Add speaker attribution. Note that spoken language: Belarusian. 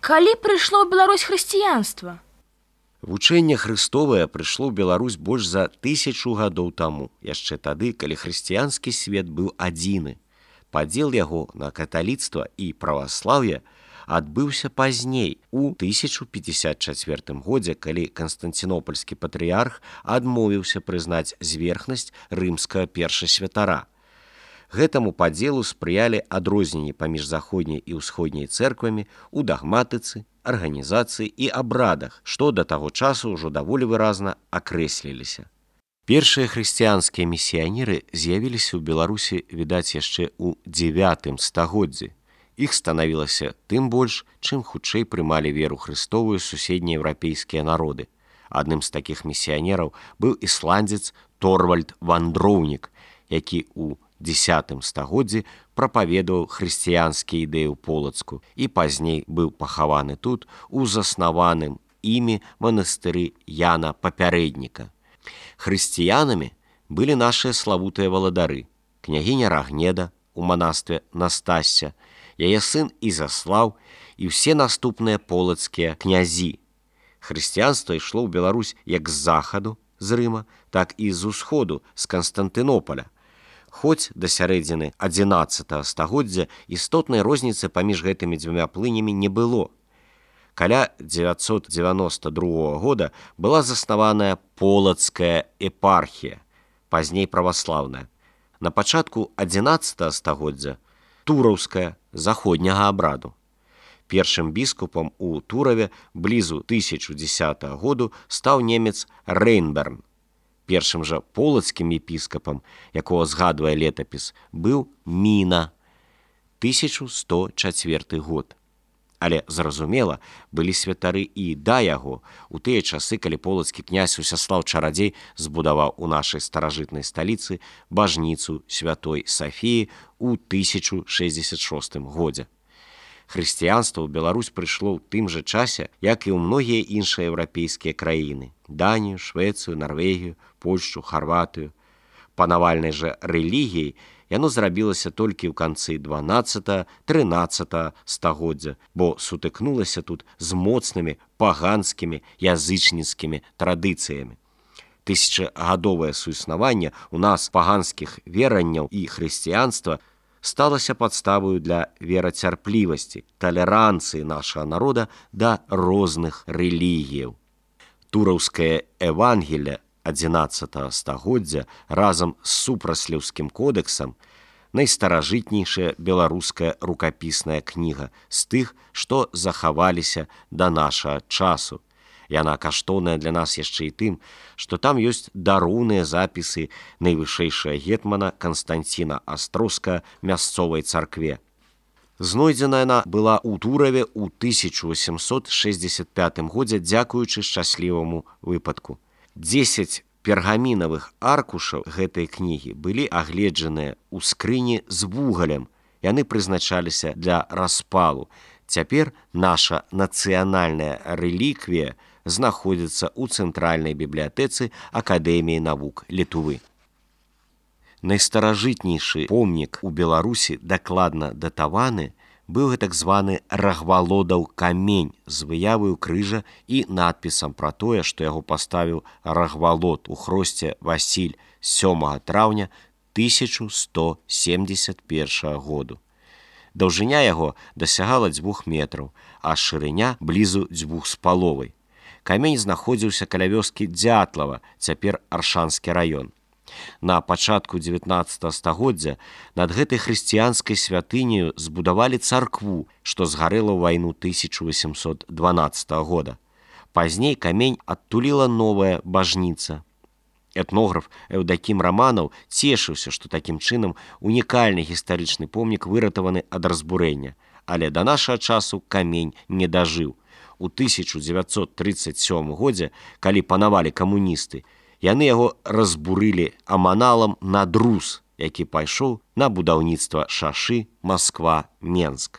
Speaker 1: Калі прыйшло ў Беларусь хрысціянства?
Speaker 2: Вучэнне хрыстовае прыйшло ў Беларусь больш за 1000 гадоў таму, яшчэ тады, калі хрысціянскі свет быў адзіны. Падзел яго на каталіцтва і праваслаўе адбыўся пазней, у 1054 годзе, калі канстанцінопальскі патрыярх адмовіўся прызнаць зверхнасць рымскага першасвятара. Гэтаму падзелу спрыялі адрозненні паміж заходняй і ўсходняй цэрквамі ў дагматыцы, арганізацыі і абрадах, што да таго часу ўжо даволі выразна акрэсліліся. Першыя хрысціянскія місіянеры з'явіліся ў Беларусі, відаць, яшчэ ў 9 стагоддзі. Іх станавілася тым больш, чым хутчэй прымалі веру хрыстовую суседнееўрапейскія народы. Адным з такіх місіянераў быў ісландзец Торвальд Вандроўнік, які ў 10 стагоддзі прапаведаваў хрысціянскія ідэі ў Полацку і пазней быў пахаваны тут у заснаваным імі манастыры Яна Папярэдніка. Хрысціянамі былі нашыя славутыя валадары, княгіня Рагнеда у манастве Настасся, яе сын Ізаслаў і ўсе наступныя полацкія князі. Хрысціянства ішло ў Беларусь як з захаду, з Рыма, так і з усходу, з Канстантынополя. Хоць да сярэдзіны 11 стагоддзя істотнай розніцы паміж гэтымі дзвюма плынямі не было. Каля 992 года была заснаваная Полацкая епархія, пазней праваслаўная. На пачатку 11 стагоддзя Тураўская, заходняга абраду. Першым біскупам у Тураве блізу 1010 году стаў немец Рейнберн. Першым жа полацкім епіскапам, якого згадвае летапіс, быў Міна, 1104 год. Але, зразумела, былі святары і да яго, у тыя часы, калі полацкі князь Усяслаў Чарадзей збудаваў у нашай старажытнай сталіцы бажніцу святой Сафіі ў 1066 годзе. Хрысціянства ў Беларусь прыйшло ў тым жа часе, як і ў многія іншыя еўрапейскія краіны – Данію, Швецыю, Нарвегію, Польшчу, Харватыю. Панавальнай жа рэлігіяй яно зрабілася толькі ў канцы 12-13 стагоддзя, бо сутыкнулася тут з моцнымі паганскімі язычніцкімі традыцыямі. Тысячагадовае суіснаванне у нас паганскіх веранняў і хрысціянства сталася падставою для верацярплівасці, талеранцыі нашага народа да розных рэлігіяў. Тураўскае Евангелие 11 стагоддзя разам з супрасліўскім кодэксам найстаражытнейшая беларуская рукапісная кніга з тых, што захаваліся да нашага часу. Яна каштоўная для нас яшчэ і тым, што там ёсць дароўныя запісы найвышэйшага гетмана Канстанціна Астроўскага мясцовай царкве. Знойдзена яна была ў Тураве ў 1865 годзе дзякуючы шчасліваму выпадку. 10 пергамінавых аркушаў гэтай кнігі былі агледжаныя ў скрыні з вугалем. Яны прызначаліся для распалу. Цяпер наша нацыянальная рэліквія знаходзіцца ў Цэнтральнай бібліятэцы Акадэміі навук Літвы. Найстаражытнейшы помнік у Беларусі, дакладна датаваны, быў гэтак званы Рагвалодаў камень з выяваю крыжа і надпісам пра тое, што яго паставіў Рагвалод у хросце Васіль 7 траўня 1171 году. Даўжыня яго дасягала 2 метраў, а шырыня блізу 2,5. Камень знаходзіўся каля вёскі Дзятлава, цяпер Аршанскі раён. На пачатку 19 стагоддзя над гэтай хрысціянскай святыняю збудавалі царкву, што згарэла ў вайну 1812 года. Пазней камень адтуліла новая бажніца. Этнограф Эўдакім Раманаў цешыўся, што такім чынам унікальны гістарычны помнік выратаваны ад разбурэння, але да нашага часу камень не дажыў. У 1937 годзе, калі панавалі камуністы, яны яго разбурылі аманалам на друз, які пайшоў на будаўніцтва шашы Масква-Менск.